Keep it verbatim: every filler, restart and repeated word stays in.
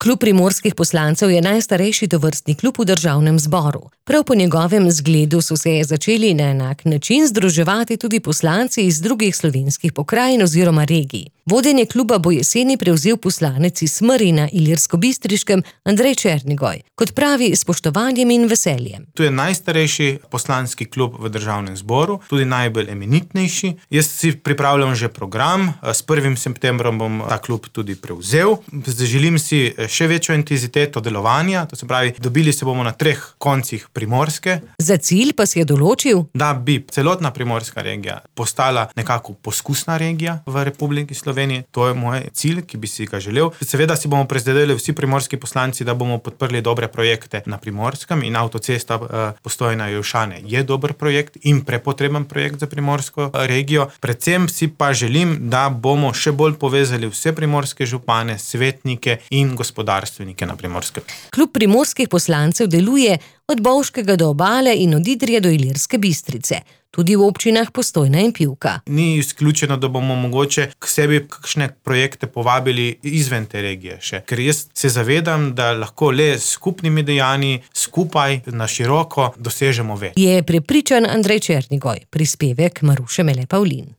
Klub primorskih poslancev je najstarejši tovrstni klub v državnem zboru. Prav po njegovem zgledu so se začeli na enak način združevati tudi poslanci iz drugih slovenskih pokrajin oziroma regij. Vodenje kluba bo jeseni prevzel poslanec iz Smrij na Ilirskobistriškem Andrej Černigoj, kot pravi, s spoštovanjem in veseljem. To je najstarejši poslanski klub v državnem zboru, tudi najbolj eminentnejši. Jaz si pripravljam že program, s prvim septembrom bom ta klub tudi prevzel. Želim si še večjo intenziteto delovanja, to se pravi, dobili se bomo na treh koncih Primorske. Za cilj pa si je določil, da bi celotna primorska regija postala nekako poskusna regija v Republiki Sloveniji. To je moj cilj, ki bi si ga želel. Seveda si bomo prizadevali vsi primorski poslanci, da bomo podprli dobre projekte na Primorskem in avtocesta Postojna-Jelšane je dober projekt in prepotreben projekt za primorsko regijo. Predvsem si pa želim, da bomo še bolj povezali vse primorske župane, svetnike in gospodarstvenike na Primorskem. Klub primorskih poslancev deluje od Bovškega do Obale in od Idrije do Ilirske Bistrice, tudi v občinah Postojna in Pivka. Ni izključeno, da bomo mogoče k sebi kakšne projekte povabili izven te regije še, ker jaz se zavedam, da lahko le s skupnimi dejanji, skupaj, na široko dosežemo več. Je prepričan Andrej Černigoj, prispevek Maruše Mele Pavlin.